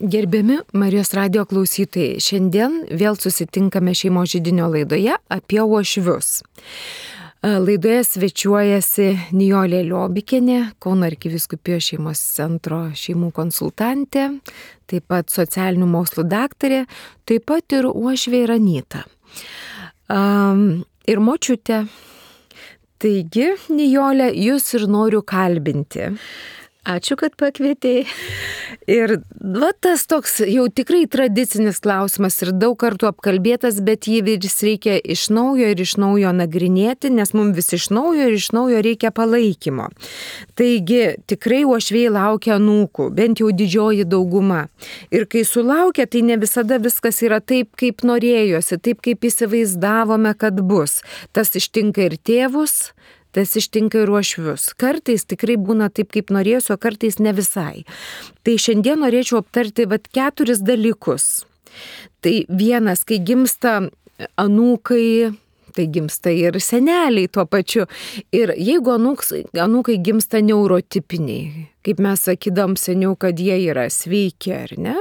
Gerbiami Marijos radijo klausytojai, šiandien vėl susitinkame šeimos židinio laidoje apie uošvius. Laidoje svečiuojasi Nijolė Liobikienė, Kauno arkivyskupijos šeimos centro šeimų konsultantė, taip pat socialinių mokslų daktarė, taip pat ir uošvė Anita. Ir močiutė. Taigi, Nijolė, jūs ir noriu kalbinti. Ačiū, kad pakvietei. Ir tas toks jau tikrai tradicinis klausimas ir daug kartų apkalbėtas, bet jį vis reikia iš naujo nagrinėti, nes mums vis iš naujo reikia palaikymo. Taigi tikrai uošviai laukia anūkų, bent jau didžioji dauguma. Ir kai sulaukia, tai ne visada viskas yra taip, kaip norėjosi, taip, kaip įsivaizdavome, kad bus. Tas ištinka ir tėvus, tas ištinka ir uošvius. Kartais tikrai būna taip, kaip norėsiu, o kartais ne visai. Tai šiandien norėčiau aptarti 4 dalykus. Tai vienas, kai gimsta anūkai, tai gimsta ir seneliai tuo pačiu. Ir jeigu anūkai gimsta neurotipiniai, kaip mes sakydam seniau, kad jie yra sveiki, ar ne?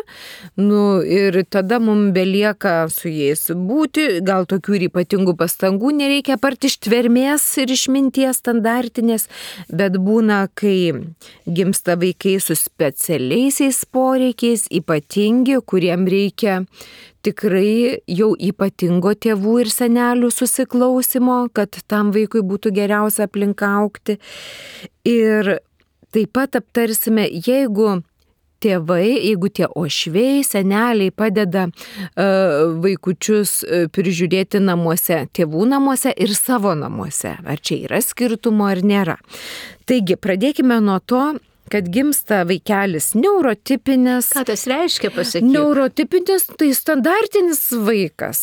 Ir tada mums belieka su jais būti, gal tokių ir ypatingų pastangų nereikia apart ištvermės ir išminties standartinės, bet būna, kai gimsta vaikai su specialiaisiais poreikiais, ypatingi, kuriem reikia tikrai jau ypatingo tėvų ir senelių susiklausimo, kad tam vaikui būtų geriausia aplinka augti. Ir taip pat aptarsime, jeigu tie uošviai, seneliai padeda vaikučius prižiūrėti namuose, tėvų namuose ir savo namuose. Ar čia yra skirtumo ar nėra. Taigi, pradėkime nuo to, kad gimsta vaikelis neurotipinis. Ką tas reiškia, pasakyk? Neurotipinis tai standartinis vaikas.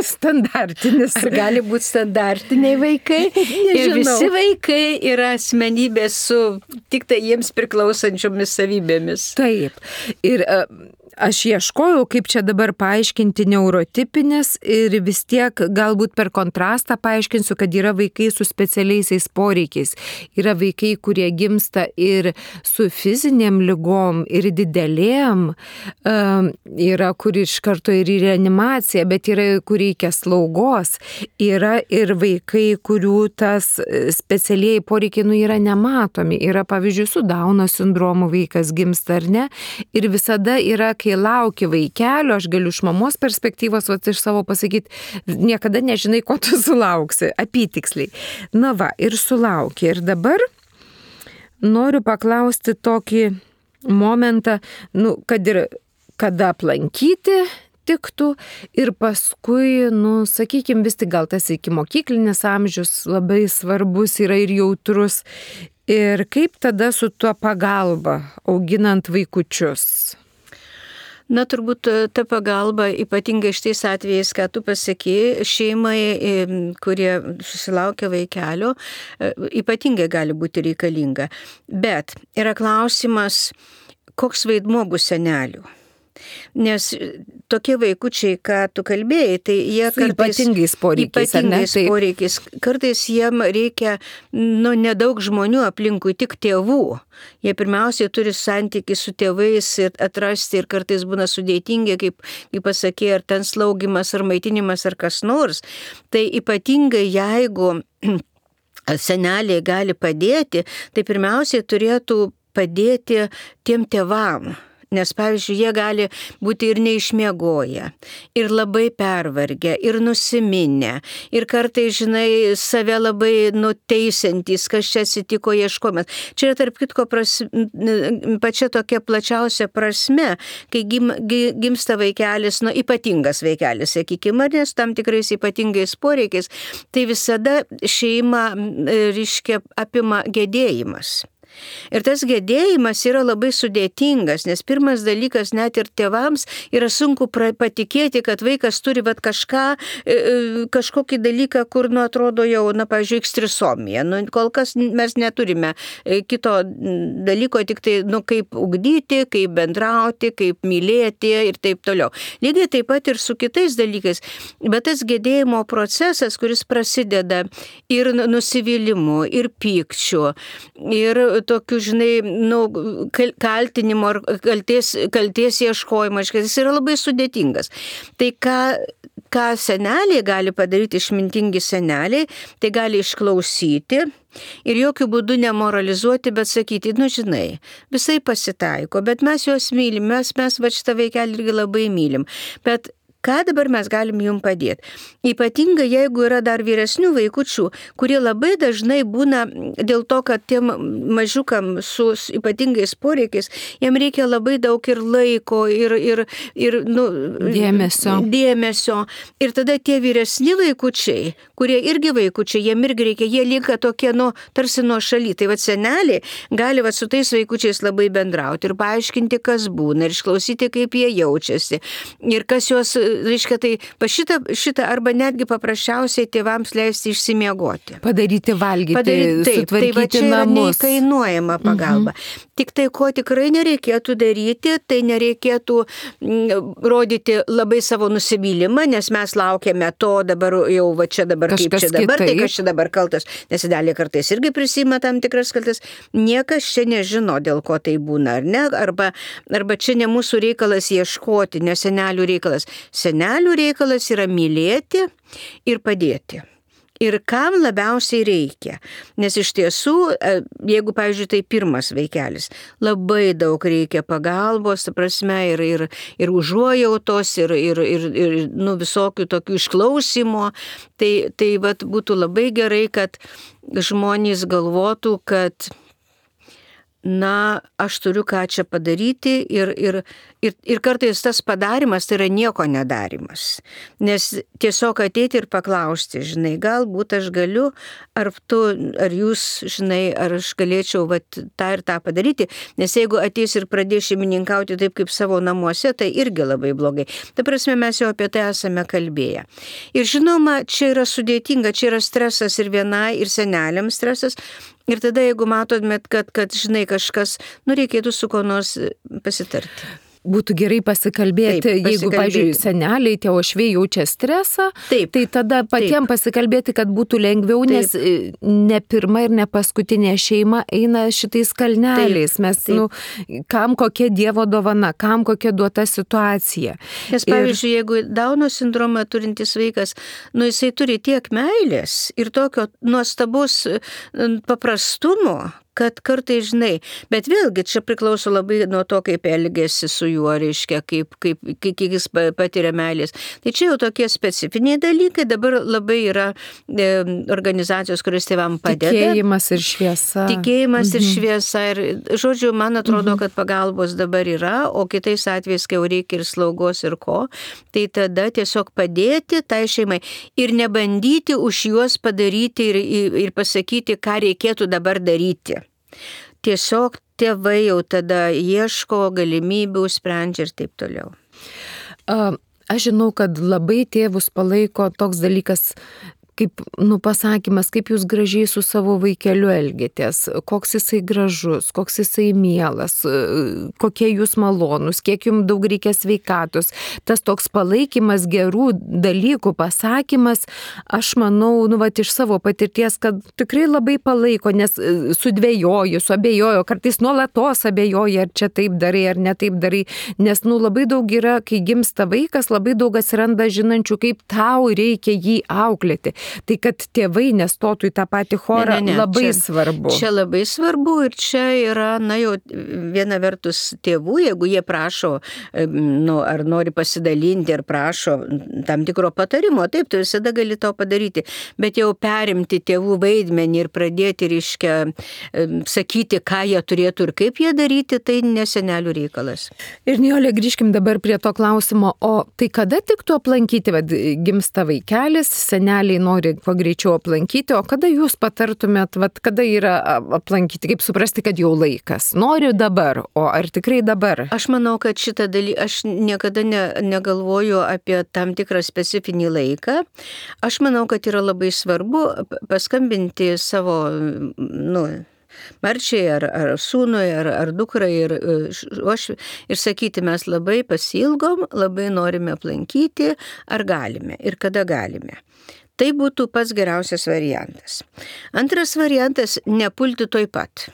Standartinis. Ar gali būti standartiniai vaikai? Nežinau. Ir visi vaikai yra asmenybės su tik tai jiems priklausančiomis savybėmis. Taip. Ir aš ieškojau, kaip čia dabar paaiškinti neurotipinis ir vis tiek galbūt per kontrastą paaiškinsiu, kad yra vaikai su specialiaisiais poreikiais. Yra vaikai, kurie gimsta ir su fizinėm ligom, ir didelėm. Yra, kur iš karto ir į reanimaciją, bet yra, kur reikia slaugos. Yra ir vaikai, kurių tas specialieji poreikiai yra nematomi. Yra, pavyzdžiui, su Dauno sindromu vaikas gimsta ar ne. Ir visada yra, kai lauki vaikelio, aš galiu iš mamos perspektyvos, iš savo pasakyti, niekada nežinai, ko tu sulauksi, apytiksliai. Ir sulauki. Ir dabar noriu paklausti tokį momentą, kad ir kada aplankyti tiktų ir paskui, sakykime, vis tik gal tas ikimokyklinis amžius labai svarbus yra ir jautrus. Ir kaip tada su tuo pagalba auginant vaikučius? Turbūt ta pagalba, ypatingai šitais atvejais, ką tu pasakei, šeimai, kurie susilaukia vaikelio, ypatingai gali būti reikalinga. Bet yra klausimas, koks vaidmuo bus senelių. Nes tokie vaikučiai, ką tu kalbėjai, tai jie kartais ypatingais poreikiais, kartais jiem reikia nedaug žmonių aplinkui, tik tėvų. Jie pirmiausiai turi santykį su tėvais ir atrasti ir kartais būna sudėtingi, kaip pasakė, ar ten slaugimas, ar maitinimas, ar kas nors. Tai ypatingai jeigu seneliai gali padėti, tai pirmiausiai turėtų padėti tiem tėvam. Nes, pavyzdžiui, jie gali būti ir neišmiegoję, ir labai pervargę, ir nusiminę, ir kartais, save labai nuteisiantys, kas čia atsitiko ieškojimas. Čia yra, tarp kitko, pačia tokia plačiausia prasme, kai gimsta vaikelis, ypatingas vaikelis, sakykime, nes tam tikrais ypatingais poreikiais, tai visada šeima, apima gedėjimas. Ir tas gedėjimas yra labai sudėtingas, nes pirmas dalykas net ir tėvams yra sunku patikėti, kad vaikas turi kažkokį dalyką, kur, atrodo jau, pavyzdžiui, ekstrisomija. Kol kas mes neturime kito dalyko, tik tai, kaip ugdyti, kaip bendrauti, kaip mylėti ir taip toliau. Lygiai taip pat ir su kitais dalykais. Bet tas gedėjimo procesas, kuris prasideda ir nusivylimu, ir pykčiu, ir tokiu, žinai, kaltinimo ar kalties ieškojimo, jis yra labai sudėtingas. Tai ką seneliai gali padaryti, išmintingi seneliai, tai gali išklausyti ir jokių būdų nemoralizuoti, bet sakyti, žinai, visai pasitaiko, bet mes juos mylim, mes va šitą vaikelį irgi labai mylim. Bet ką dabar mes galim jum padėti? Ypatingai, jeigu yra dar vyresnių vaikučių, kurie labai dažnai būna dėl to, kad tiem mažiukam su ypatingais poreikiais, jiem reikia labai daug ir laiko, ir dėmesio. Ir tada tie vyresni vaikučiai, kurie irgi vaikučiai, jiem irgi reikia, jie lieka tokie, tarsi nuo šaly. Tai seneliai gali su tais vaikučiais labai bendrauti ir paaiškinti, kas būna, ir išklausyti, kaip jie jaučiasi. Ir kas juos reiškia, tai šitą arba netgi paprasčiausiai tėvams leisti išsimiegoti. Padaryti valgyti, sutvarkyti tai va čia yra namus. Neįkainuojama pagalba. Tik tai, ko tikrai nereikėtų daryti, tai nereikėtų rodyti labai savo nusivylimą, nes mes laukiame to dabar jau, va čia dabar, kažkas kaip čia dabar, kitaip. tai kas čia dabar kaltas, nes dalį kartais irgi prisima tam tikras kaltas. Niekas čia nežino, dėl ko tai būna, ar ne? Arba čia ne mūsų reikalas ieškoti, ne senelių reikalas. Senelių reikalas yra mylėti ir padėti. Ir kam labiausiai reikia. Nes iš tiesų, jeigu, pavyzdžiui, tai pirmas vaikelis, labai daug reikia pagalbos, ta prasme, ir užuojautos, ir visokių tokių išklausimo. Tai vat, būtų labai gerai, kad žmonės galvotų, kad aš turiu ką čia padaryti ir kartais tas padarimas tai yra nieko nedarimas. Nes tiesiog ateiti ir paklausti, žinai, galbūt aš galiu, ar jūs, žinai, ar aš galėčiau tą ir tą padaryti, nes jeigu ateis ir pradės šeimininkauti taip kaip savo namuose, tai irgi labai blogai. Ta prasme, mes jau apie tai esame kalbėję. Ir žinoma, čia yra sudėtinga, čia yra stresas ir vienai, ir seneliams stresas. Ir tada, jeigu matomėt, kad žinai, kažkas, reikėtų su ko nors pasitarti. Būtų gerai pasikalbėti, jeigu, pavyzdžiui, seneliai, tie uošviai jaučia stresą, tai tada patiems pasikalbėti, kad būtų lengviau, nes ne pirma ir ne paskutinė šeima eina šitais kalneliais. Mes, kam kokia Dievo dovana, kam kokia duota situacija. Nes, pavyzdžiui, jeigu Dauno sindromą turintis vaikas, jisai turi tiek meilės ir tokio nuostabus paprastumo, kad kartai, žinai, bet vėlgi čia priklauso labai nuo to, kaip elgesi su juo, reiškia, kaip jis patiria meilės. Tai čia jau tokie specifiniai dalykai, dabar labai yra organizacijos, kurios tėvam padeda. Tikėjimas ir šviesa. Tikėjimas ir šviesa. Ir, žodžiu, man atrodo, kad pagalbos dabar yra, o kitais atvejais, kai jau reikia ir slaugos ir ko, tai tada tiesiog padėti tai šeimai ir nebandyti už juos padaryti ir pasakyti, ką reikėtų dabar daryti. Tiesiog tėvai jau tada ieško galimybių, sprendžia ir taip toliau. Aš žinau, kad labai tėvus palaiko toks dalykas, kaip, pasakymas, kaip jūs gražiai su savo vaikeliu elgėtės, koks jisai gražus, koks jisai mielas, kokie jūs malonus, kiek jums daug reikia sveikatos. Tas toks palaikymas, gerų dalykų pasakymas, aš manau, iš savo patirties, kad tikrai labai palaiko, nes sudvejoju, suabejoju, kartais nuolatos abejoju, ar čia taip darai, ar ne taip darai, nes labai daug yra, kai gimsta vaikas, labai daug atsiranda žinančių, kaip tau reikia jį auklėti. Tai kad tėvai nestotų į tą patį chorą, labai svarbu. Čia labai svarbu ir čia yra, jau viena vertus tėvų, jeigu jie prašo, ar nori pasidalinti, ar prašo tam tikro patarimo, taip, tu visada gali to padaryti, bet jau perimti tėvų vaidmenį ir pradėti, reiškia, sakyti, ką jie turėtų ir kaip jie daryti, tai ne senelių reikalas. Ir Nijolė, grįžkim dabar prie to klausimo, o tai kada tiktų aplankyti, gimsta vaikelis, seneliai nori kuo greičiau aplankyti, o kada jūs patartumėt, kada yra aplankyti, kaip suprasti, kad jau laikas? Noriu dabar, o ar tikrai dabar? Aš manau, kad šitą dalyką, aš niekada negalvoju apie tam tikrą specifinį laiką. Aš manau, kad yra labai svarbu paskambinti savo, marčiai ar sūnui, ar dukrai ir sakyti, mes labai pasilgom, labai norime aplankyti, ar galime ir kada galime. Tai būtų pats geriausias variantas. Antras variantas – nepulti toj pat.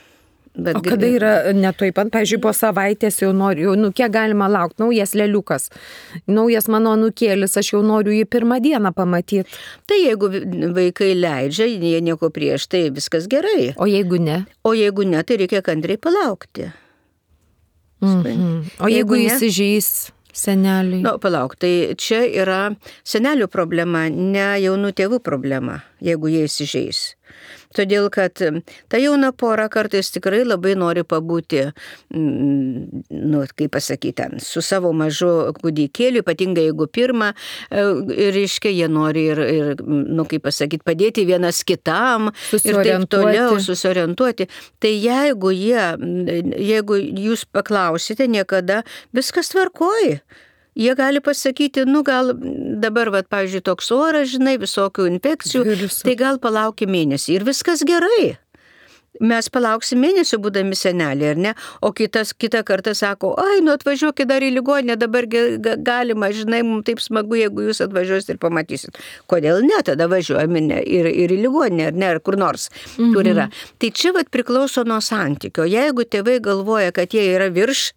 O kada yra netoj pat, pavyzdžiui, po savaitės jau noriu, kiek galima laukti, naujas leliukas, naujas mano anūkėlis, aš jau noriu jį pirmą dieną pamatyti. Tai jeigu vaikai leidžia, jie nieko prieš, tai viskas gerai. O jeigu ne? O jeigu ne, tai reikia kantriai palaukti. O jeigu įsižeis seneliai? Palauk, tai čia yra senelių problema, ne jaunų tėvų problema, jeigu jie įsižeis. Todėl, kad ta jauna pora kartais tikrai labai nori pabūti, kaip pasakyti, su savo mažu kūdikėliu, ypatingai jeigu pirmą, reiškia, jie nori ir kaip pasakyti, padėti vienas kitam ir taip toliau susiorientuoti. Tai jeigu jūs paklausite, niekada viskas tvarkoja. Jie gali pasakyti, gal dabar, pavyzdžiui, toks oras, visokių infekcijų, tai gal palauki mėnesį ir viskas gerai. Mes palauksim mėnesį būdami seneliai, ar ne? O kitą kartą sako, atvažiuokit dar į ligoninę, dabar galima, mums taip smagu, jeigu jūs atvažiuosit ir pamatysit. Kodėl ne, tada važiuojame ir į ligoninę, ar ne, ar kur nors, kur yra. Tai čia priklauso nuo santykio. Jeigu tėvai galvoja, kad jie yra virš,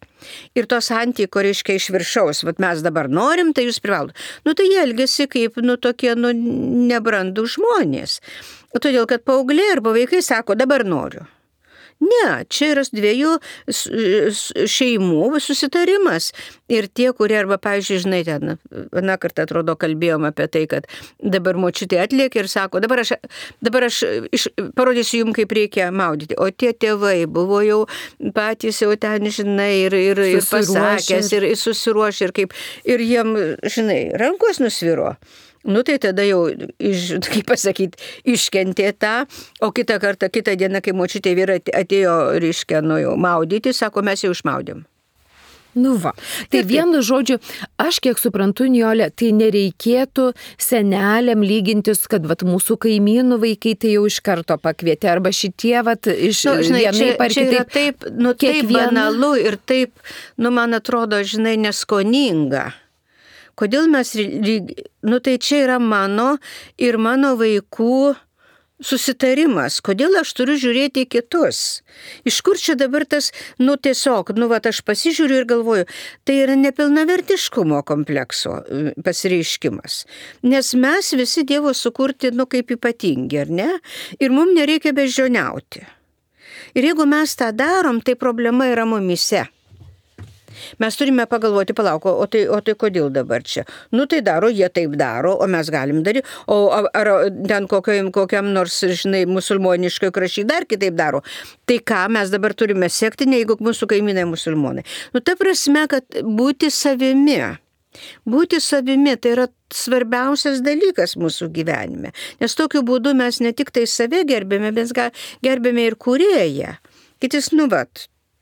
ir to santykio, reiškia, iš viršaus, mes dabar norim, tai jūs privalot. Tai jie elgiasi kaip, tokie, nebrandų žmonės. Todėl, kad paaugliai arba vaikai sako, dabar noriu. Ne, čia yra dviejų šeimų susitarimas. Ir tie, kurie arba, pavyzdžiui, ten, vieną kartą atrodo kalbėjom apie tai, kad dabar močiutė atlėkė ir sako, dabar aš parodysiu jums, kaip reikia maudyti. O tie tėvai buvo jau patys jau ten, ir pasakęs, ir susiruošę, ir jiem, rankos nusviro. Tai tada jau, kaip pasakyti, iškentė tą, o kitą dieną, kai močiutė vyra atėjo, reiškia, jau maudyti, sako, mes jau išmaudėm. Tai vienu žodžiu, aš kiek suprantu, Nijole, tai nereikėtų seneliam lygintis, kad mūsų kaimynų vaikai tai jau iš karto pakvietė, arba šitie, iš vienaip ar kitaip. Taip, taip banalu ir taip, man atrodo, neskoninga. Kodėl mes, tai čia yra mano ir mano vaikų susitarimas. Kodėl aš turiu žiūrėti į kitus? Iš kur čia dabar tas, tiesiog, aš pasižiūriu ir galvoju, tai yra nepilnavertiškumo komplekso pasireiškimas. Nes mes visi Dievo sukurti, kaip ypatingi, ar ne? Ir mums nereikia beždžioniauti. Ir jeigu mes tą darom, tai problema yra mumise. Mes turime pagalvoti, palauk, o tai kodėl dabar čia? Tai daro, jie taip daro, o mes galim daryti. O ar ten kokiam nors, musulmoniškai kraščiai dar kitaip daro. Tai ką mes dabar turime sekti, jeigu mūsų kaimynai musulmonai? Ta prasme, kad būti savimi. Būti savimi tai yra svarbiausias dalykas mūsų gyvenime. Nes tokiu būdu mes ne tik tai save gerbėme, bet gerbėme ir kūrėją. Kitis,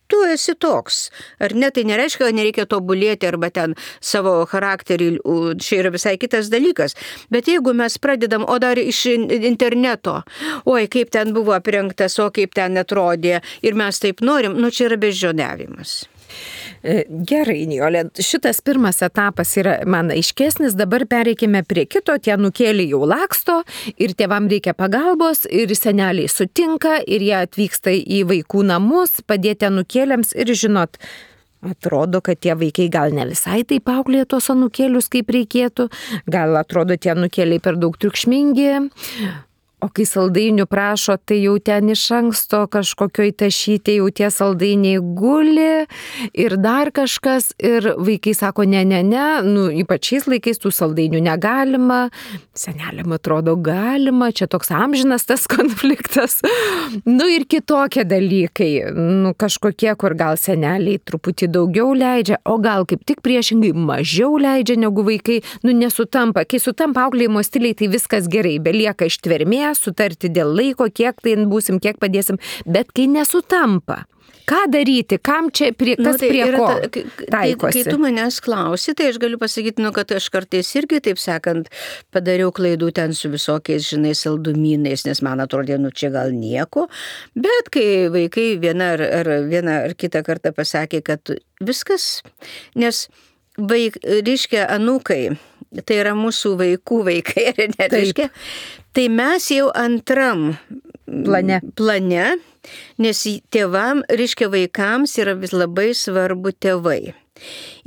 tu esi toks. Ar ne, tai nereiškia, kad nereikia tobulėti arba ten savo charakterį, čia yra visai kitas dalykas. Bet jeigu mes pradedam, o dar iš interneto, kaip ten buvo aprengtas, kaip ten atrodė ir mes taip norim, čia yra beždžioniavimas. Gerai, Nijole, šitas pirmas etapas yra man aiškesnis, dabar pereikime prie kito, tie anūkėliai jau laksto ir tėvam reikia pagalbos ir seneliai sutinka ir jie atvyksta į vaikų namus, padėti anūkėliams ir žinot, atrodo, kad tie vaikai gal ne visai taip auklėja tos anūkėlius kaip reikėtų, gal atrodo tie anūkėliai per daug triukšmingi. O kai saldainių prašo, tai jau ten iš anksto kažkokioj tašytė, jau tie saldainiai guli ir dar kažkas. Ir vaikai sako, ne, ypač šiais laikais tų saldainių negalima. Seneliam atrodo galima, čia toks amžinas tas konfliktas. Ir kitokie dalykai. Kažkokie, kur gal seneliai truputį daugiau leidžia, o gal kaip tik priešingai mažiau leidžia negu vaikai. Nesutampa. Kai sutampa auklėjimo stiliai, tai viskas gerai, belieka ištvermė, sutarti dėl laiko, kiek tai būsim, kiek padėsim, bet kai nesutampa, ką daryti, kam čia, kas prie ko taikosi? Kai tu manęs klausi, tai aš galiu pasakyti, kad aš kartais irgi, taip sakant, padariau klaidų ten su visokiais, saldumynais, nes man atrodė, čia gal nieko, bet kai vaikai vieną ar kitą kartą pasakė, kad viskas, nes reiškia anūkai, tai yra mūsų vaikų vaikai, reiškia, tai mes jau antram plane Nes tėvam, reiškia vaikams yra vis labai svarbu tėvai.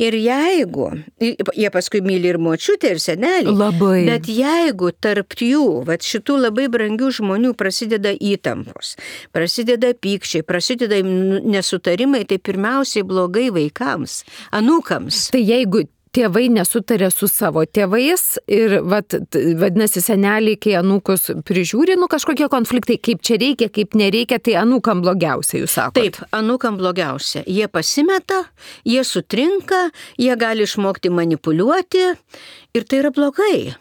Ir jeigu, jie paskui myli ir močiutę, ir senelį, Labai. bet jeigu tarp jų, šitų labai brangių žmonių prasideda įtampos, prasideda pykčiai, prasideda nesutarimai, tai pirmiausiai blogai vaikams, anūkams. Tai jeigu tėvai nesutarė su savo tėvais ir vadinasi seneliai, kai anūkus prižiūri, kažkokie konfliktai, kaip čia reikia, kaip nereikia, tai anūkam blogiausia, jūs sakote. Taip, anūkam blogiausia. Jie pasimeta, jie sutrinka, jie gali išmokti manipuliuoti ir tai yra blogai.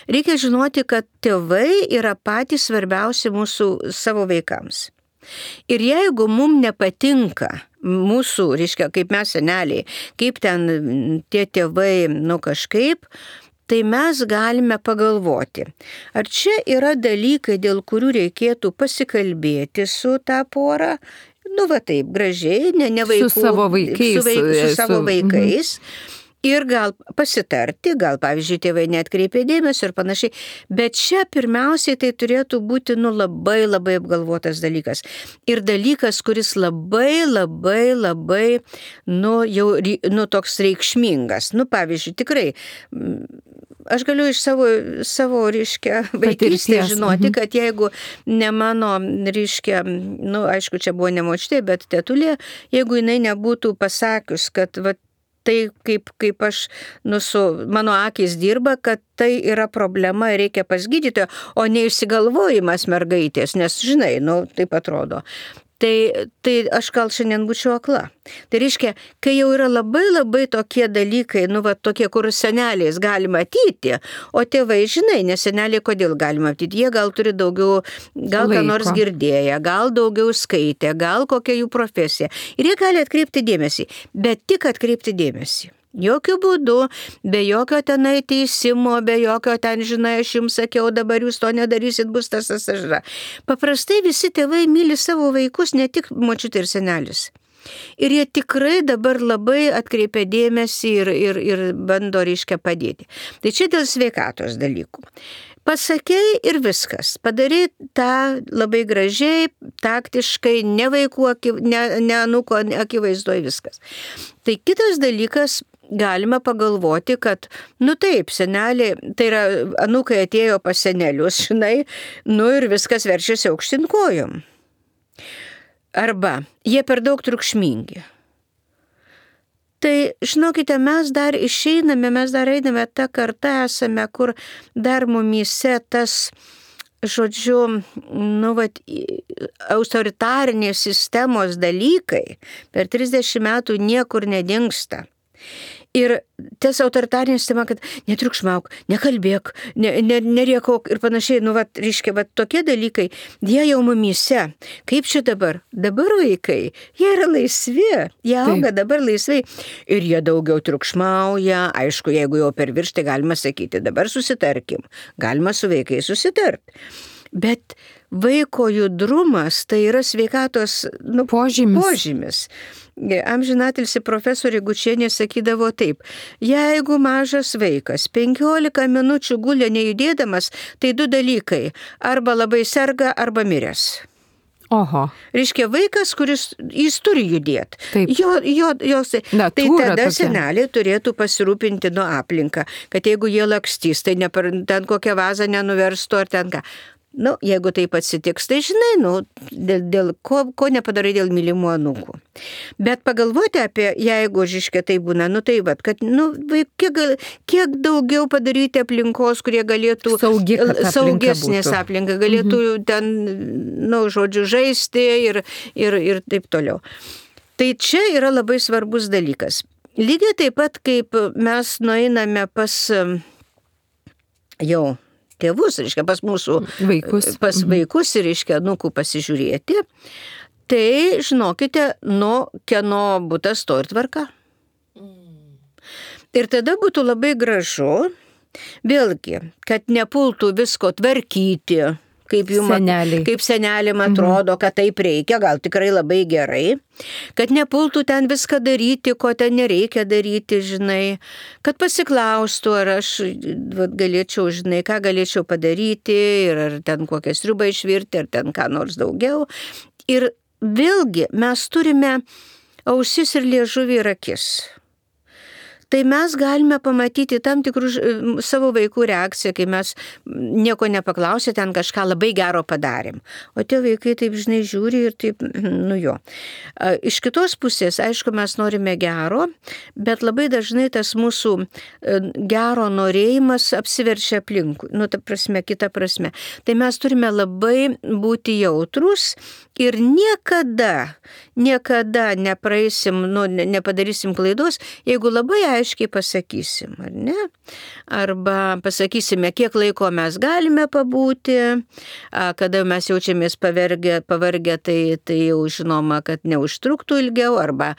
Reikia žinoti, kad tėvai yra patys svarbiausi mūsų savo vaikams. Ir jeigu mums nepatinka mūsų, reiškia, kaip mes seneliai, kaip ten tie tėvai, kažkaip, tai mes galime pagalvoti, ar čia yra dalykai, dėl kurių reikėtų pasikalbėti su tą porą, taip, gražiai, ne vaikų, su savo vaikais. Su savo vaikais. Ir gal pasitarti, gal, pavyzdžiui, tėvai neatkreipė dėmesio ir panašiai. Bet čia pirmiausiai tai turėtų būti, labai, labai apgalvotas dalykas. Ir dalykas, kuris labai, toks reikšmingas. Pavyzdžiui, tikrai, aš galiu iš savo reiškia, vaikystės žinoti, kad jeigu ne mano, reiškia, aišku, čia buvo ne močiutė, bet tetulė, jeigu jinai nebūtų pasakius, kad, tai kaip aš, mano akis dirba, kad tai yra problema ir reikia pas gydytoją, o ne išsigalvojimas mergaitės, nes, žinai, taip atrodo. Tai aš gal šiandien būčiau akla. Tai reiškia, kai jau yra labai tokie dalykai, tokie, kur seneliais gali matyti, o tėvai, žinai, nes seneliai kodėl gali matyti, jie gal turi daugiau, gal ką nors girdėję, gal daugiau skaitę, gal kokia jų profesija. Ir jie gali atkreipti dėmesį, bet tik atkreipti dėmesį. Jokių būdų, be jokio tenai teisimo, be jokio ten, žinai, aš jums sakiau, dabar jūs to nedarysit, bus tas. Paprastai visi tėvai myli savo vaikus, ne tik močiutė ir senelis. Ir jie tikrai dabar labai atkreipia dėmesį ir bando, reiškia, padėti. Tai čia dėl sveikatos dalykų. Pasakei ir viskas. Padarai tą labai gražiai, taktiškai, ne vaikų, ne anūko akivaizdoje viskas. Tai kitas dalykas, galima pagalvoti, kad, taip, seneliai, tai yra, anūkai atėjo pas senelius, žinai, ir viskas verčiasi aukštyn kojom. Arba jie per daug triukšmingi. Tai, žinokite, mes dar išeiname, mes dar einame tą kartą esame, kur dar mumyse tas, žodžiu, autoritarinės sistemos dalykai per 30 metų niekur nedingsta. Ir tas autoritarinė sistema, kad netriukšmauk, nekalbėk, neriekok ir panašiai, reiškia, tokie dalykai, jie jau mumyse. Kaip čia dabar? Dabar vaikai, jie yra laisvi, jie auga dabar laisvai ir jie daugiau triukšmauja. Aišku, jeigu jau per virš, tai galima sakyti, dabar susitarkim, galima su vaikais susitart. Bet vaiko judrumas tai yra sveikatos požymis. Amžinatilsį profesorė Gučienė sakydavo taip, jeigu mažas vaikas 15 minučių gulė nejudėdamas, tai 2 dalykai, arba labai serga, arba miręs. Oho. Reiškia, vaikas, kuris, jis turi judėti. Tai tada seneliai turėtų pasirūpinti nuo aplinką, kad jeigu jie lakstys, tai ten kokią vazą nenuverstų ar ten ką. Jeigu taip atsitiks, tai žinai, dėl ko nepadarai dėl mylimų anūkų. Bet pagalvoti apie, jeigu, žiškia, tai būna, kad, kiek daugiau padaryti aplinkos, kurie galėtų saugesnės aplinką, galėtų ten, žodžiu, žaisti ir taip toliau. Tai čia yra labai svarbus dalykas. Lygiai taip pat, kaip mes nueiname pas jau tėvus, reiškia, pas mūsų vaikus ir, reiškia, anūkų pasižiūrėti, tai žinokite, kieno butas to ir tvarka. Ir tada būtų labai gražu, vėlgi, kad nepultų visko tvarkyti, kaip senelėm atrodo, kad taip reikia, gal tikrai labai gerai, kad nepultų ten viską daryti, ko ten nereikia daryti, žinai, kad pasiklaustų, ar aš galėčiau, žinai, ką galėčiau padaryti, ir ar ten kokią sriubą išvirti, ar ten ką nors daugiau. Ir vėlgi mes turime ausis ir liežuvį ir akis. Tai mes galime pamatyti tam tikrų savo vaikų reakciją, kai mes nieko nepaklausė, ten kažką labai gero padarėm. O tie vaikai taip, žinai, žiūri ir taip, jo. Iš kitos pusės, aišku, mes norime gero, bet labai dažnai tas mūsų gero norėjimas apsiverčia aplinkui. Ta prasme, kita prasme. Tai mes turime labai būti jautrus ir niekada nepraeisim, nepadarysim klaidos, jeigu labai aiškiai pasakysim, ar ne? Arba pasakysime, kiek laiko mes galime pabūti, kada mes jaučiamės pavargę, tai jau žinoma, kad neužtruktų ilgiau, arba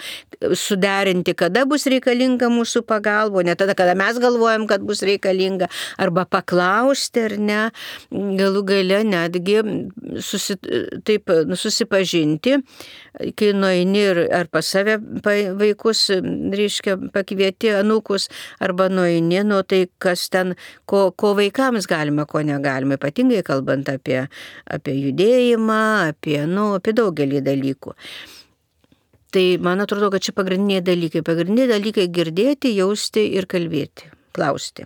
suderinti, kada bus reikalinga mūsų pagalba, ne tada, kada mes galvojam, kad bus reikalinga, arba paklausti, ar ne, galų gale netgi susipažinti, kai nueini ar pas save vaikus, reiškia, pakvieti anūkus, arba nueini, tai kas ten, ko vaikams galima, ko negalima, ypatingai kalbant apie judėjimą, apie daugelį dalykų. Tai man atrodo, kad čia pagrindiniai dalykai girdėti, jausti ir kalbėti. Klausti.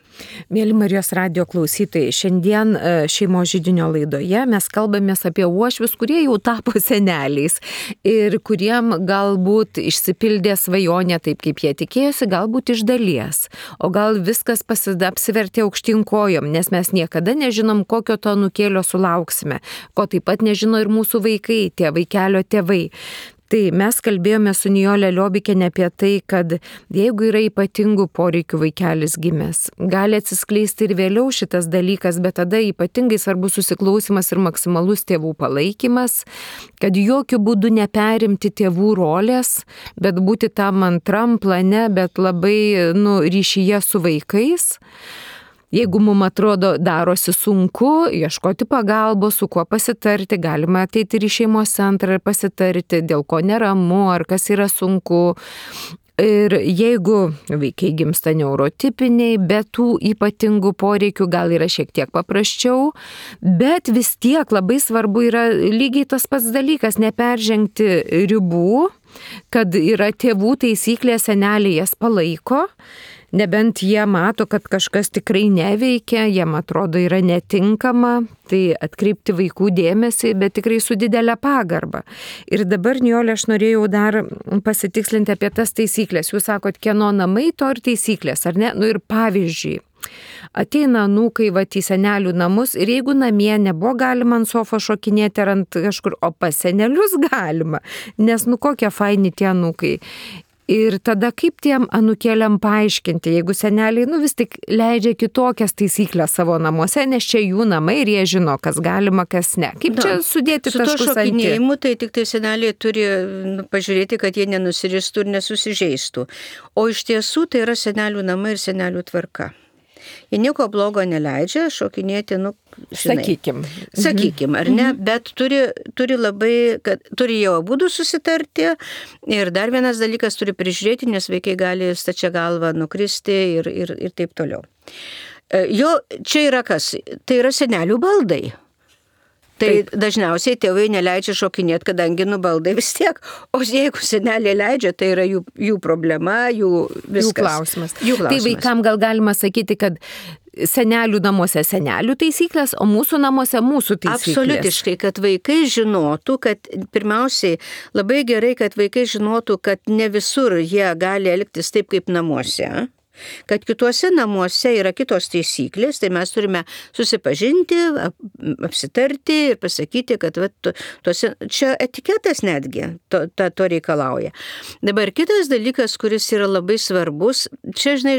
Mėly Marijos radijo klausytojai, šiandien šeimos židinio laidoje mes kalbamės apie uošvius, kurie jau tapo seneliais ir kuriem galbūt išsipildė svajonė taip, kaip jie tikėjosi, galbūt iš dalies, o gal viskas apsivertė aukštyn kojom, nes mes niekada nežinom, kokio to anūkėlio sulauksime, ko taip pat nežino ir mūsų vaikai, tie vaikelio tėvai. Tai mes kalbėjome su Nijole Liobikiene apie tai, kad jeigu yra ypatingų poreikių vaikelis gimęs, gali atsiskleisti ir vėliau šitas dalykas, bet tada ypatingai svarbus susiklausimas ir maksimalus tėvų palaikymas, kad jokių būdų neperimti tėvų rolės, bet būti tam antram plane, bet labai ryšyje su vaikais. Jeigu mums atrodo darosi sunku, ieškoti pagalbos, su kuo pasitarti, galima ateiti ir į šeimos centrą ir pasitarti, dėl ko neramu, ar kas yra sunku. Ir jeigu vaikai gimsta neurotipiniai, be tų ypatingų poreikių, gal yra šiek tiek paprasčiau, bet vis tiek labai svarbu yra lygiai tas pats dalykas, neperžengti ribų, kad yra tėvų taisyklės, seneliai jas palaiko. Nebent jie mato, kad kažkas tikrai neveikia, jiem atrodo yra netinkama, tai atkreipti vaikų dėmesį, bet tikrai su didelė pagarba. Ir dabar, Nijolė, aš norėjau dar pasitikslinti apie tas taisyklės. Jūs sakot, kieno namai, to ir taisyklės, ar ne? Ir pavyzdžiui, ateina anūkai į senelių namus ir jeigu namie nebuvo galima ant sofos šokinėti ar ant kažkur, o pas senelius galima, nes kokie faini tie anūkai. Ir tada kaip tiem anūkėliam paaiškinti, jeigu seneliai vis tik leidžia kitokias taisyklės savo namuose, nes čia jų namai ir jie žino, kas galima, kas ne. Kaip čia sudėti taškus ant i? Su to šokinėjimu, tai tik tai seneliai turi pažiūrėti, kad jie nenusiristų ir nesusižeistų. O iš tiesų tai yra senelių namai ir senelių tvarka. Jie nieko blogo neleidžia šokinėti, sakykim, ar ne, bet turi labai, kad turi jau abudu susitarti ir dar vienas dalykas turi prižiūrėti, nes vaikai gali stačia galva nukristi ir taip toliau. Čia yra kas? Tai yra senelių baldai. Tai dažniausiai tėvai neleidžia šokinėti, kadangi baldai vis tiek. O jeigu seneliai leidžia, tai yra jų problema, jų viskas. Jų klausimas. Tai vaikam gal galima sakyti, kad senelių namuose senelių taisyklės, o mūsų namuose mūsų taisyklės. Absoliutiškai, kad vaikai žinotų, kad pirmiausiai labai gerai, kad vaikai žinotų, kad ne visur jie gali elgtis taip kaip namuose. Kad kituose namuose yra kitos taisyklės, tai mes turime susipažinti, apsitarti ir pasakyti, kad čia etiketas netgi to reikalauja. Dabar kitas dalykas, kuris yra labai svarbus, čia, žinai,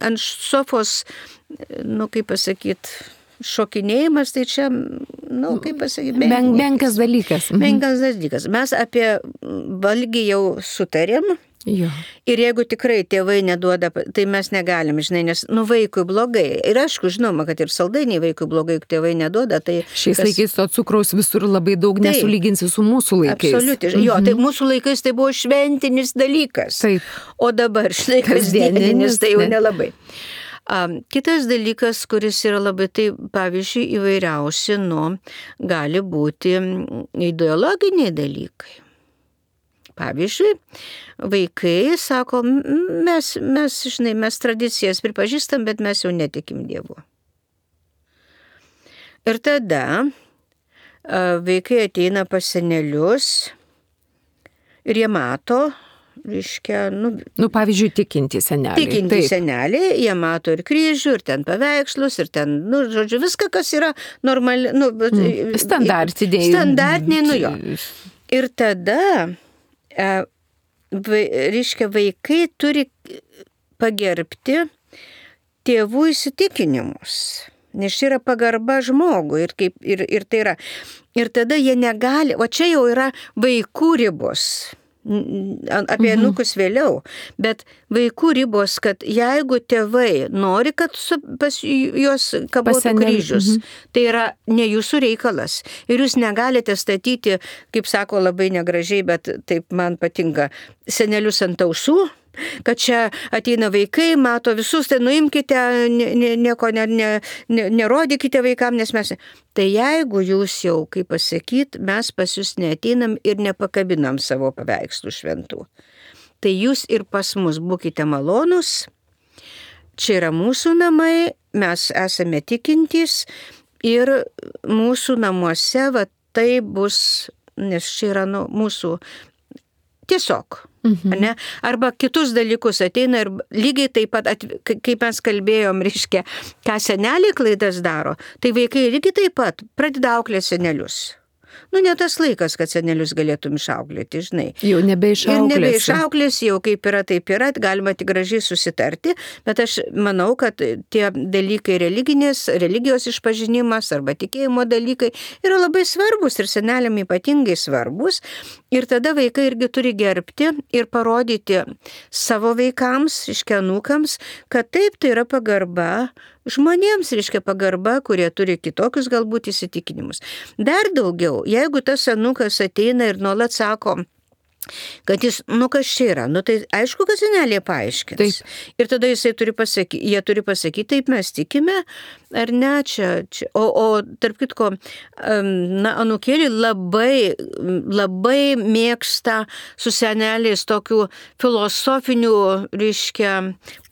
ant sofos, kaip pasakyti, šokinėjimas, tai čia, kaip pasakyti, menkas dalykas. Menkas dalykas. Mes apie valgį jau sutarėm. Jo. Ir jeigu tikrai tėvai neduoda, tai mes negalim, žinai, nes vaikui blogai. Ir aišku, žinoma, kad ir saldainiai vaikui blogai, jeigu tėvai neduoda, tai... Šiais laikais to cukraus visur labai daug, nesulyginsi su mūsų laikais. Absoliutiškai. Jo, tai mūsų laikais tai buvo šventinis dalykas. Taip. O dabar, žinai, kasdieninis, tai jau nelabai. Kitas dalykas, kuris yra labai, tai pavyzdžiui, įvairiausi, gali būti ideologiniai dalykai. Pavyzdžiui, vaikai sako, mes tradicijas pripažįstam, bet mes jau netikim Dievu. Ir tada vaikai ateina pas senelius ir jie mato, reiškia, pavyzdžiui, tikinti seneliai. Seneliai, jie mato ir kryžių, ir ten paveikslus, ir ten, žodžiu, viską, kas yra normali, standartiniai, jo. Ir tada, reiškia, vaikai turi pagerbti tėvų įsitikinimus. Nes čia yra pagarba žmogui ir tai yra. Ir tada jie negali, o čia jau yra vaikų ribos. Apie anūkus vėliau, bet vaikų ribos, kad jeigu tėvai nori, kad pas juos kabotų kryžius, tai yra ne jūsų reikalas. Ir jūs negalite statyti, kaip sako labai negražiai, bet taip man patinka, senelius ant ausų, kad čia ateina vaikai, mato visus, tai nuimkite, nieko nerodykite vaikam, nes mes... Tai jeigu jūs jau, kaip pasakyt, mes pas jūs neateinam ir nepakabinam savo paveikslų šventų, tai jūs ir pas mus būkite malonus, čia yra mūsų namai, mes esame tikintys ir mūsų namuose tai bus, nes čia yra mūsų tiesiog. Ne? Arba kitus dalykus ateina ir lygiai taip pat, kaip mes kalbėjom, reiškia, ką seneliai klaidas daro, tai vaikai lygiai taip pat pradeda auklėti senelius. Ne tas laikas, kad senelius galėtum išauklėti, žinai. Jau nebeišauklės, jau kaip yra, taip yra, galima tik gražiai susitarti, bet aš manau, kad tie dalykai religijos išpažinimas arba tikėjimo dalykai yra labai svarbus ir seneliam ypatingai svarbus. Ir tada vaikai irgi turi gerbti ir parodyti savo vaikams, reiškia anūkams, kad taip, tai yra pagarba žmonėms, reiškia pagarba, kurie turi kitokius galbūt įsitikinimus. Dar daugiau, jeigu tas anūkas ateina ir nuolat sako, kad jis, kas čia yra, tai aišku, kad senelė paaiškins. Taip. Ir tada jie turi pasakyti, taip mes tikime, ar ne, čia. O tarp kitko, anūkėlį labai mėgsta su seneliais tokių filosofinių, reiškia,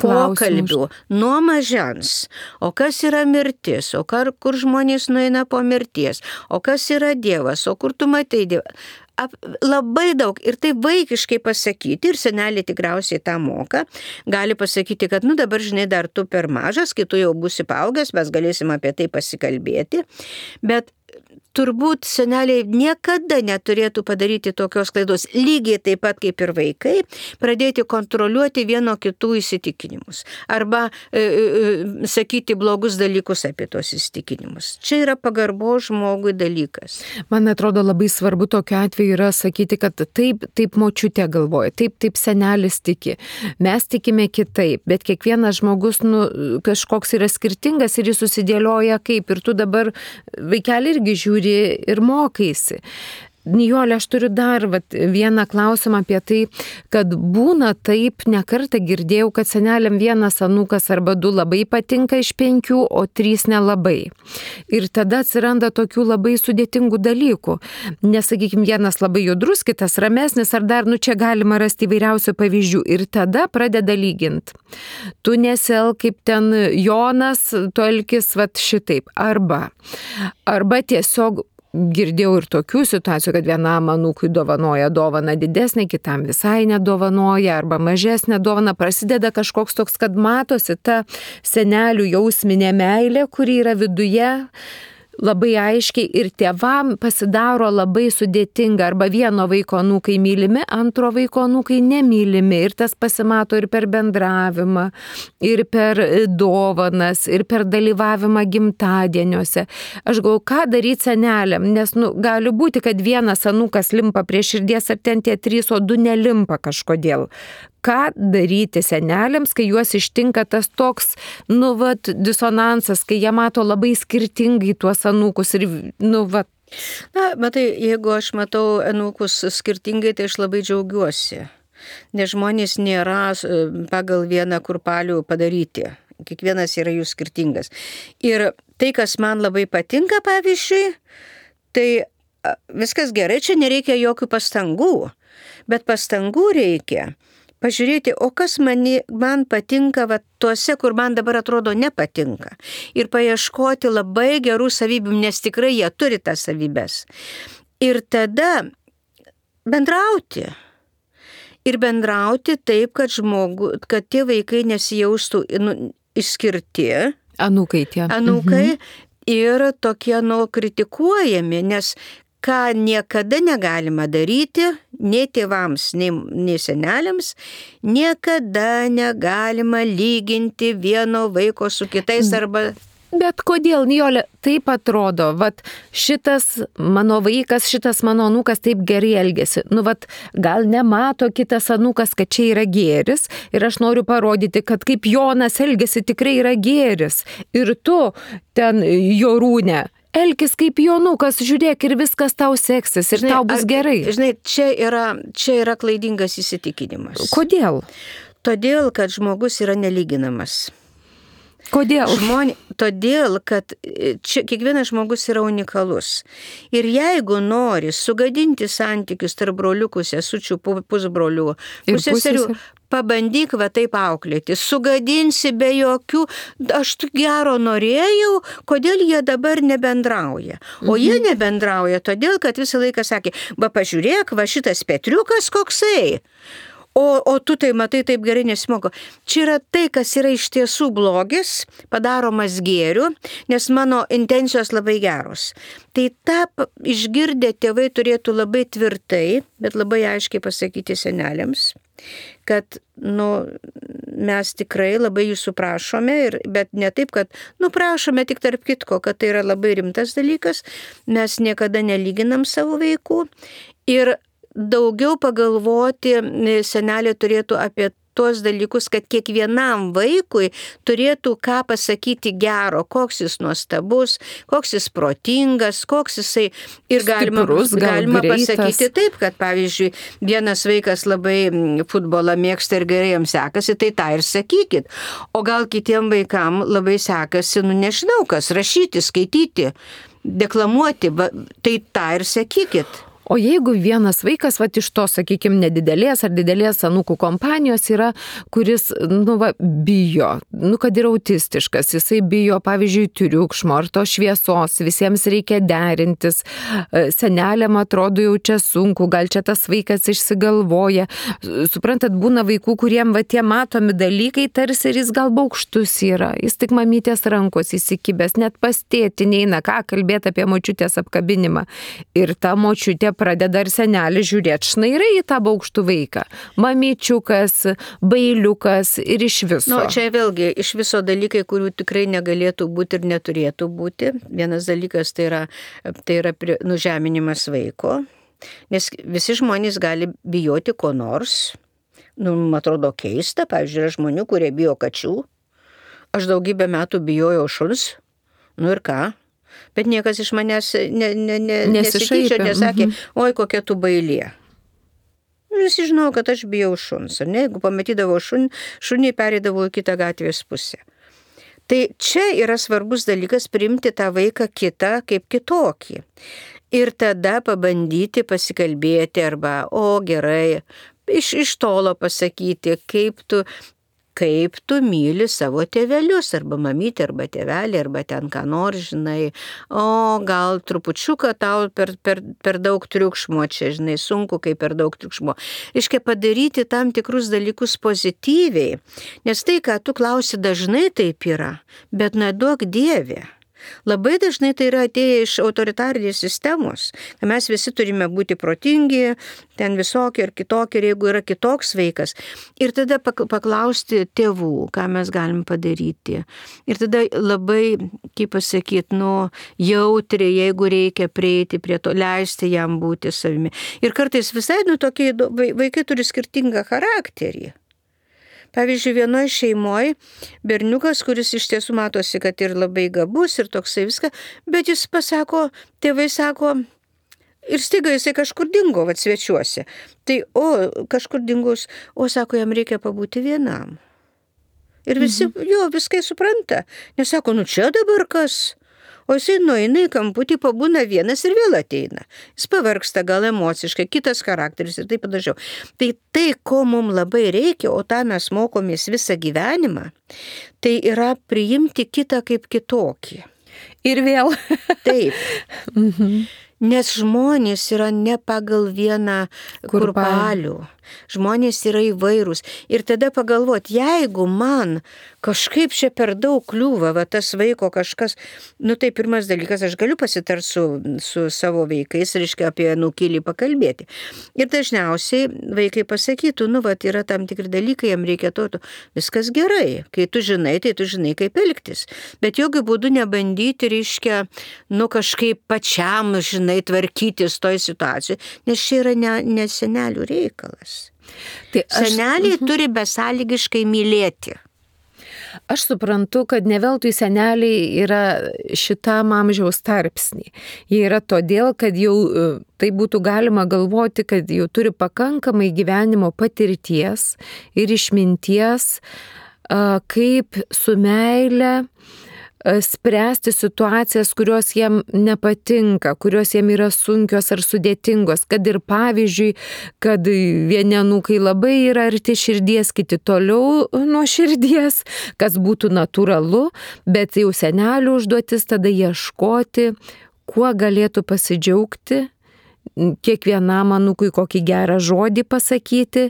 pokalbių nuo mažens. O kas yra mirtis, o kur žmonės nueina po mirties, o kas yra Dievas, o kur tu matai Dievą. Labai daug ir tai vaikiškai pasakyti, ir seneliai tikriausiai tą moka, gali pasakyti, kad dabar, žinai, dar tu per mažas, kai tu jau būsi paaugęs, mes galėsim apie tai pasikalbėti, bet turbūt seneliai niekada neturėtų padaryti tokios klaidos, lygiai taip pat kaip ir vaikai, pradėti kontroliuoti vieno kitų įsitikinimus arba sakyti blogus dalykus apie tos įsitikinimus. Čia yra pagarbo žmogui dalykas. Man atrodo labai svarbu tokiu atveju yra sakyti, kad taip močiutė galvoja, taip senelis tiki, mes tikime kitaip, bet kiekvienas žmogus kažkoks yra skirtingas ir jis susidėlioja kaip, ir tu dabar vaikelį irgi žiūri ir mokaisi. Nijolė, aš turiu dar vieną klausimą apie tai, kad būna taip, nekartą girdėjau, kad seneliam vienas anūkas arba du labai patinka iš 5, o 3 nelabai. Ir tada atsiranda tokių labai sudėtingų dalykų. Nes, sakykime, vienas labai judrus, kitas ramesnis, ar dar, čia galima rasti įvairiausių pavyzdžių. Ir tada pradeda lyginti. Tu nesielk kaip ten Jonas, tu elkis šitaip. Arba tiesiog girdėjau ir tokių situacijų, kad vienam anūkui dovanoja dovaną didesnę, kitam visai nedovanoja, arba mažesnę dovaną. Prasideda kažkoks toks, kad matosi ta senelių jausminė meilė, kuri yra viduje, labai aiškiai, ir tėvam pasidaro labai sudėtinga, arba vieno vaiko anūkai mylimi, antro vaiko anūkai nemylimi, ir tas pasimato ir per bendravimą, ir per dovanas, ir per dalyvavimą gimtadieniuose. Aš galvoju, ką daryti seneliam, nes gali būti, kad vienas anūkas limpa prie širdies, ar ten tie 3, o 2 nelimpa kažkodėl. Ką daryti seneliams, kai juos ištinka tas toks, disonansas, kai jie mato labai skirtingai tuos anūkus ir, matai, jeigu aš matau anūkus skirtingai, tai aš labai džiaugiuosi. Nes žmonės nėra pagal vieną kurpalių padaryti. kiekvienas yra jų skirtingas. Ir tai, kas man labai patinka, pavyzdžiui, tai viskas gerai, čia nereikia jokių pastangų, bet pastangų reikia pažiūrėti, o kas man patinka va, tuose, kur man dabar atrodo nepatinka. Ir paieškoti labai gerų savybių, nes tikrai jie turi tas savybės. Ir tada bendrauti. Ir bendrauti taip, kad tie vaikai nesijaustų išskirti. Anūkai tie. Anūkai ir tokie kritikuojami, nes ką niekada negalima daryti, nei tėvams, nei seneliams, niekada negalima lyginti vieno vaiko su kitais arba... Bet kodėl, Nijole, taip atrodo, vat šitas mano vaikas, šitas mano anūkas taip gerai elgesi. Nu, vat gal nemato kitas anūkas, kad čia yra gėris ir aš noriu parodyti, kad kaip Jonas elgesi tikrai yra gėris. Ir tu ten, Jorūne, elkis kaip Jonukas, žiūrėk ir viskas tau seksis ir tau bus gerai. Žinai, čia yra klaidingas įsitikinimas. Kodėl? Todėl, kad žmogus yra nelyginamas. Kodėl? Todėl, kad čia kiekvienas žmogus yra unikalus. Ir jeigu nori sugadinti santykius tarp broliukų, sesučių, pusbrolių, puseserių, pabandyk va taip auklėti, sugadinsi be jokių, aš gero norėjau, kodėl jie dabar nebendrauja. O jie nebendrauja todėl, kad visą laiką sakė, va pažiūrėk, va šitas Petriukas koksai. O tu tai matai taip gerai nesimoko. Čia yra tai, kas yra iš tiesų blogis, padaromas gėriu, nes mano intencijos labai geros. Tai tą išgirdę tėvai turėtų labai tvirtai, bet labai aiškiai pasakyti seneliams, kad mes tikrai labai jūsų prašome, bet ne taip, kad prašome tik tarp kitko, kad tai yra labai rimtas dalykas, mes niekada nelyginam savo vaikų ir daugiau pagalvoti senelė turėtų apie tuos dalykus, kad kiekvienam vaikui turėtų ką pasakyti gero, koks jis nuostabus, koks jis protingas, koks jisai ir galima pasakyti taip, kad pavyzdžiui, vienas vaikas labai futbolą mėgsta ir gerai jam sekasi, tai tą ir sakykit. O gal kitiem vaikam labai sekasi, nežinau kas, rašyti, skaityti, deklamuoti, tai tą ir sakykit. O jeigu vienas vaikas, iš to, sakykime, nedidelės ar didelės anūkų kompanijos yra, kuris, bijo, kad yra autistiškas, jisai bijo, pavyzdžiui, triukšmo ar to šviesos, visiems reikia derintis, seneliam atrodo jau čia sunku, gal čia tas vaikas išsigalvoja. Suprantat, būna vaikų, kuriem tie matomi dalykai tarsi ir jis gal baukštus yra, jis tik mamytės rankos įsikibęs, net pas tėtį neina, ką kalbėti apie močiutės apkabinimą. Ir ta močiutė pradeda ir senelį žiūrėti šnairai į tą baukštų vaiką. Mamyčiukas, bailiukas ir iš viso. Čia vėlgi iš viso dalykai, kurių tikrai negalėtų būti ir neturėtų būti. Vienas dalykas tai yra nužeminimas vaiko, nes visi žmonės gali bijoti ko nors. Man atrodo keista, pavyzdžiui, yra žmonių, kurie bijo kačių. Aš daugybę metų bijojau šuns. Ir ką? Bet niekas iš manęs nesityčio, nesakė, oi kokia tu bailė. Visi žinau, kad aš bijau šuns. Jeigu pamatydavau šunį, pereidavau į kitą gatvės pusę. Tai čia yra svarbus dalykas priimti tą vaiką kitą kaip kitokį. Ir tada pabandyti pasikalbėti arba, gerai, iš tolo pasakyti, kaip tu myli savo tėvelius, arba mamytę, arba tėvelį, arba ten ką nors, žinai, gal trupučiuką tau per daug triukšmo, čia, žinai, sunku, kai per daug triukšmo. Reiškia padaryti tam tikrus dalykus pozityviai, nes tai, ką tu klausi, dažnai taip yra, bet neduok Dieve. Labai dažnai tai yra atėję iš autoritarinės sistemos, kad mes visi turime būti protingi, ten visokie ir kitokie, ir jeigu yra kitoks vaikas. Ir tada paklausti tėvų, ką mes galim padaryti. Ir tada labai, kaip pasakyti, jautriai, jeigu reikia prieiti prie to, leisti jam būti savimi. Ir kartais visai, tokie vaikai turi skirtingą charakterį. Pavyzdžiui, vienoje šeimoje berniukas, kuris iš tiesų matosi, kad ir labai gabus ir toksai viską, bet jis pasako, tėvai sako, ir staiga jisai kažkur dingo, svečiuose. Tai, kažkur dingus, sako, jam reikia pabūti vienam. Ir visi jo viskai supranta. Nesako, nu čia dabar kas? O jisai nueina į kamputį, pabūna vienas ir vėl ateina. Jis pavargsta gal emociškai, kitas charakteris ir taip panašiau. Tai, ko mums labai reikia, o tą mes mokomės visą gyvenimą, tai yra priimti kitą kaip kitokį. Ir vėl. Taip. Nes žmonės yra ne pagal vieną kurpalių. Žmonės yra įvairūs. Ir tada pagalvot, jeigu man kažkaip čia per daug kliūva, va tas vaiko kažkas, nu tai pirmas dalykas, aš galiu pasitarti su savo vaikais, reiškia apie anūkėlį pakalbėti. Ir dažniausiai vaikai pasakytų, nu va, yra tam tikri dalykai, jam reikia to, viskas gerai. Kai tu žinai, tai tu žinai, kaip elgtis. Bet jokių būdų nebandyti, reiškia, nu kažkaip pačiam, žinai, tvarkytis toj situacijai, nes čia yra ne senelių reikalas. Tai seneliai turi besąlygiškai mylėti. Aš suprantu, kad ne veltui seneliai yra šitam amžiaus tarpsnį. Jie yra todėl, kad jau tai būtų galima galvoti, kad jau turi pakankamai gyvenimo patirties ir išminties, kaip su meile spręsti situacijas, kurios jam nepatinka, kurios jam yra sunkios ar sudėtingos, kad ir pavyzdžiui, kad vieni anūkai labai yra arti širdies, kiti toliau nuo širdies, kas būtų natūralu, bet jau senelių užduotis tada ieškoti, kuo galėtų pasidžiaugti, kiekvienam anūkui kokį gerą žodį pasakyti,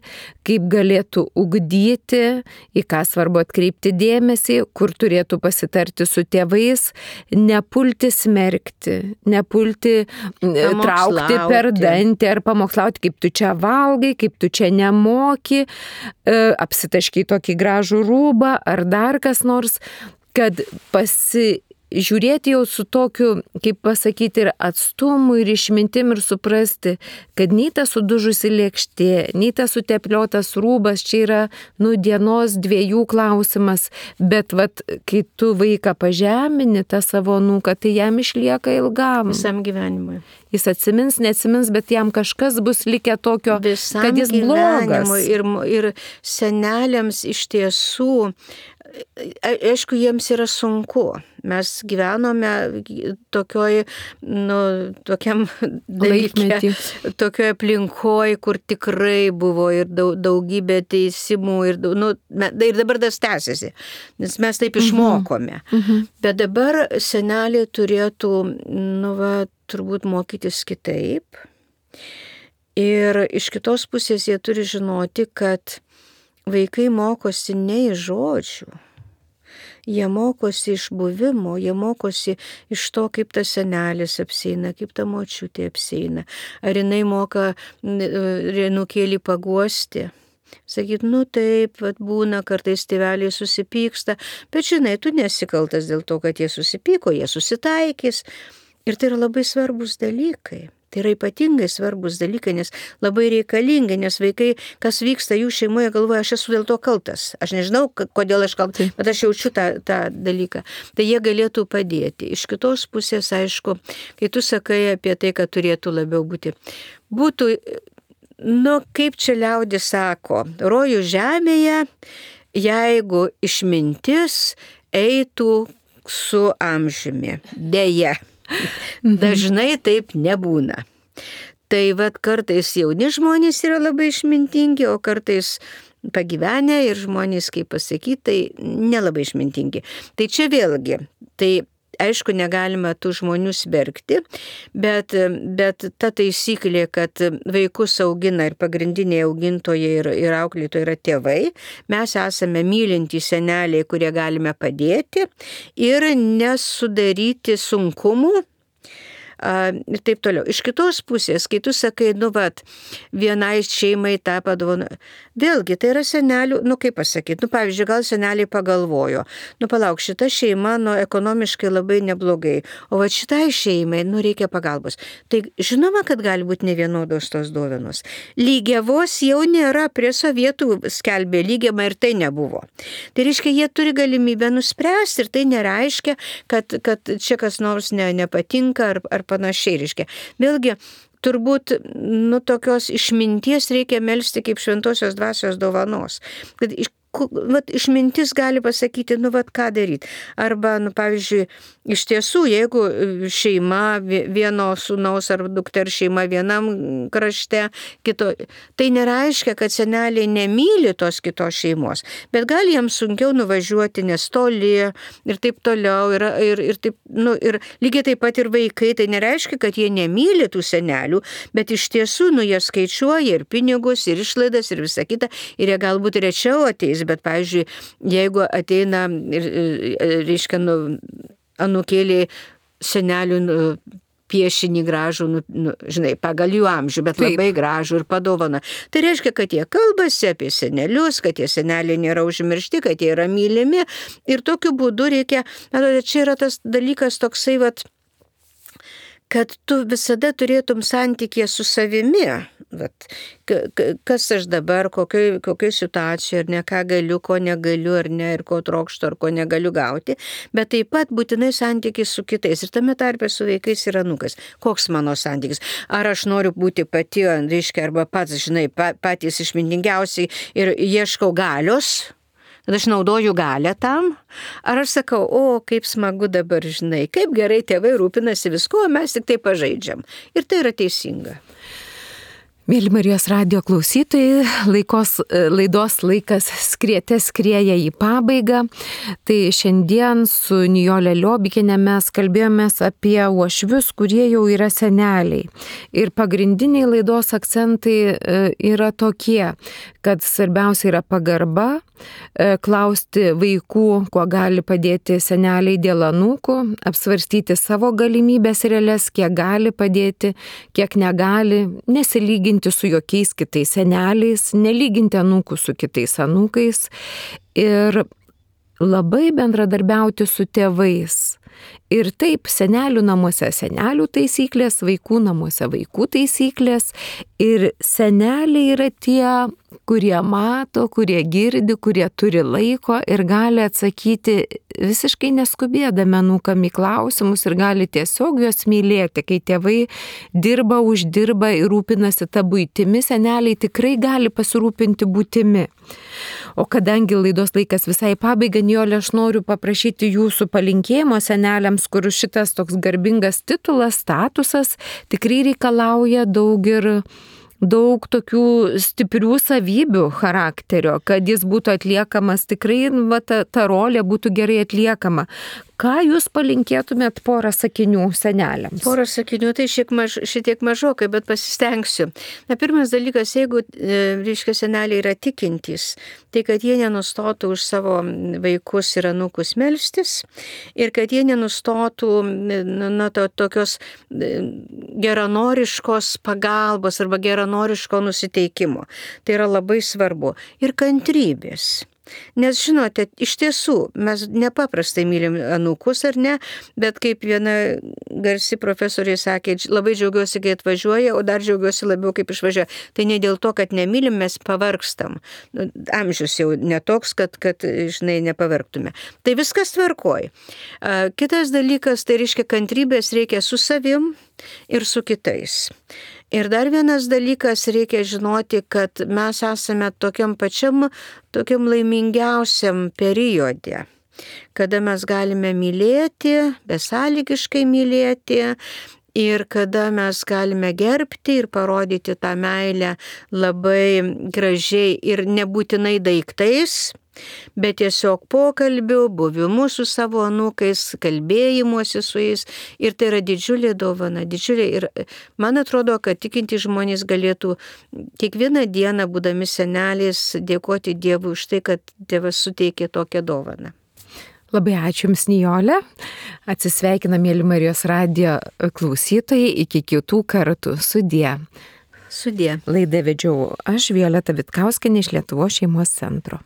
kaip galėtų ugdyti, į ką svarbu atkreipti dėmesį, kur turėtų pasitarti su tėvais, nepulti smerkti, nepulti traukti per dantį ar pamokslauti, kaip tu čia valgai, kaip tu čia nemoki, apsitaškai tokį gražų rūbą ar dar kas nors, kad žiūrėti jau su tokiu, kaip pasakyti, ir atstumu, ir išmintim, ir suprasti, kad nei ta sudužusi lėkštė, nei ta sutepliotas rūbas, čia yra, dienos dviejų klausimas, bet kai tu vaiką pažemini, tą savo anūką, tai jam išlieka ilgam. Visam gyvenimui. Jis atsimins, neatsimins, bet jam kažkas bus likę tokio, visam kad jis blogas. Ir seneliams iš tiesų, aišku, jiems yra sunku. Mes gyvenome tokiam dalyke, tokioje aplinkoje, kur tikrai buvo ir daugybė teisimų, ir dabar tas tęsiasi, nes mes taip išmokome. Bet dabar seneliai turėtų, turbūt mokytis kitaip. Ir iš kitos pusės jie turi žinoti, kad vaikai mokosi ne iš žodžių. Jie mokosi iš buvimo, jie mokosi iš to, kaip tas senelis apsieina, kaip ta močiutė apsieina. Ar jinai moka anūkėlį paguosti. Sakyt, taip, būna, kartais tėveliai susipyksta, bet žinai, tu nesikaltas dėl to, kad jie susipyko, jie susitaikys. Ir tai yra labai svarbus dalykai. Tai yra ypatingai svarbus dalykai, nes labai reikalingi, nes vaikai, kas vyksta jų šeimoje, galvoja, aš esu dėl to kaltas. Aš nežinau, kodėl aš kaltas, bet aš jaučiu tą dalyką. Tai jie galėtų padėti. Iš kitos pusės, aišku, kai tu sakai apie tai, kad turėtų labiau būtų, kaip čia liaudis sako, rojų žemėje, jeigu išmintis eitų su amžiumi. Deja. Dažnai taip nebūna. Tai kartais jauni žmonės yra labai išmintingi, o kartais pagyvenę ir žmonės, kaip pasakyti, tai nelabai išmintingi. Tai čia vėlgi, tai aišku, negalima tų žmonių smerkti, bet ta taisyklė, kad vaikus augina ir pagrindiniai augintojai ir auklėtojai yra tėvai, mes esame mylintys seneliai, kurie galime padėti ir nesudaryti sunkumų. Ir taip toliau. Iš kitos pusės, kai tu sakai, vienai šeimai tą padovanojo. Vėlgi, tai yra senelių, kaip pasakyti, pavyzdžiui, gal seneliai pagalvojo, palauk, šita šeima, ekonomiškai labai neblogai, o šitai šeimai, reikia pagalbos. Tai žinoma, kad gali būti nevienodos tos dovanos. Lygiavos jau nėra, prie sovietų skelbė lygiamą ir tai nebuvo. Tai reiškia, jie turi galimybę nuspręsti ir tai nereiškia, kad čia kas nors nepatinka ar panašiai, reiškia. Vėlgi, turbūt, tokios išminties reikia melsti kaip šventosios dvasios dovanos. Kad išmintis gali pasakyti, ką daryti. Arba, pavyzdžiui, iš tiesų, jeigu šeima vieno sūnaus ar dukters šeima vienam krašte, kito, tai nereiškia, kad seneliai nemyli tos kitos šeimos, bet gali jiems sunkiau nuvažiuoti, nes toli ir taip toliau, ir taip, ir lygiai taip pat ir vaikai, tai nereiškia, kad jie nemyli tų senelių, bet iš tiesų, jie skaičiuoja ir pinigus, ir išlaidas, ir visą kitą, ir jie galbūt rečiau ateis, bet, pavyzdžiui, jeigu ateina, reiškia, anūkėliai senelių piešinį gražų, žinai, pagal jų amžių, bet labai gražų ir padovana. Tai reiškia, kad jie kalbasi apie senelius, kad tie seneliai nėra užmiršti, kad jie yra mylimi, ir tokiu būdu reikia, čia yra tas dalykas toksai, kad tu visada turėtum santykį su savimi, kas aš dabar, kokioj situacijoje, ar ne, ką galiu, ko negaliu, ar ne, ir ko trokštu, ar ko negaliu gauti, bet taip pat būtinai santykis su kitais, ir tame tarpe su vaikais ir anūkais. Koks mano santykis? Ar aš noriu būti pati, reiškia, arba pats, žinai, patys išmintingiausiai ir ieškau galios, kad aš naudoju galią tam, ar aš sakau, kaip smagu dabar, žinai, kaip gerai tėvai rūpinasi visko, mes tik tai pažaidžiam. Ir tai yra teisinga. Mėly Marijos radijo klausytojai, laidos laikas skrieja į pabaigą. Tai šiandien su Nijole Liobikiene mes kalbėjomės apie uošvius, kurie jau yra seneliai. Ir pagrindiniai laidos akcentai yra tokie, kad svarbiausia yra pagarba, klausti vaikų, kuo gali padėti seneliai dėl anūkų, apsvarstyti savo galimybės realias, kiek gali padėti, kiek negali, nesilyginti su jokiais kitais seneliais, nelyginti anūkų su kitais anūkais ir labai bendradarbiauti su tėvais. Ir taip, senelių namuose senelių taisyklės, vaikų namuose vaikų taisyklės, ir seneliai yra tie, kurie mato, kurie girdi, kurie turi laiko ir gali atsakyti visiškai neskubėdami anūkam į klausimus ir gali tiesiog juos mylėti. Kai tėvai dirba, uždirba ir rūpinasi tą buitimi, seneliai tikrai gali pasirūpinti būtimi. O kadangi laidos laikas visai pabaiga, Nijole, aš noriu paprašyti jūsų palinkėjimo seneliams, kur šitas toks garbingas titulas, statusas tikrai reikalauja daug tokių stiprių savybių charakterio, kad jis būtų atliekamas, tikrai ta rolė būtų gerai atliekama. Ką jūs palinkėtumėt porą sakinių seneliams? Porą sakinių, tai šitiek mažokai, bet pasistengsiu. Pirmas dalykas, jeigu, reiškia, seneliai yra tikintys, tai kad jie nenustotų už savo vaikus ir anūkus melstis ir kad jie nenustotų tokios geranoriškos pagalbos arba geranoriško nusiteikimo. Tai yra labai svarbu. Ir kantrybės. Nes, žinote, iš tiesų, mes nepaprastai mylim anūkus, ar ne, bet kaip viena garsi profesorė sakė, labai džiaugiuosi, kai atvažiuoja, o dar džiaugiuosi labiau, kaip išvažiuoja. Tai ne dėl to, kad nemylim, mes pavargstam. Amžius jau netoks, kad žinai, nepavargtume. Tai viskas tvarkoj. Kitas dalykas, tai reiškia, kantrybės reikia su savim ir su kitais. Ir dar vienas dalykas, reikia žinoti, kad mes esame tokiam laimingiausiam periode, kada mes galime mylėti, besąlygiškai mylėti ir kada mes galime gerbti ir parodyti tą meilę labai gražiai ir nebūtinai daiktais, bet tiesiog pokalbių, buvimu su savo anūkais, kalbėjimuose su jais. Ir tai yra didžiulė dovana, didžiulė. Ir man atrodo, kad tikintys žmonės galėtų kiekvieną dieną, būdami seneliais, dėkoti Dievui už tai, kad Dievas suteikė tokią dovaną. Labai ačiū Jums, Nijole. Atsisveikina, mėly Marijos radijo klausytojai, iki kitų kartų. Sudie. Sudie. Laidą vedžiau aš, Violeta Vitkauskienė iš Lietuvos šeimos centro.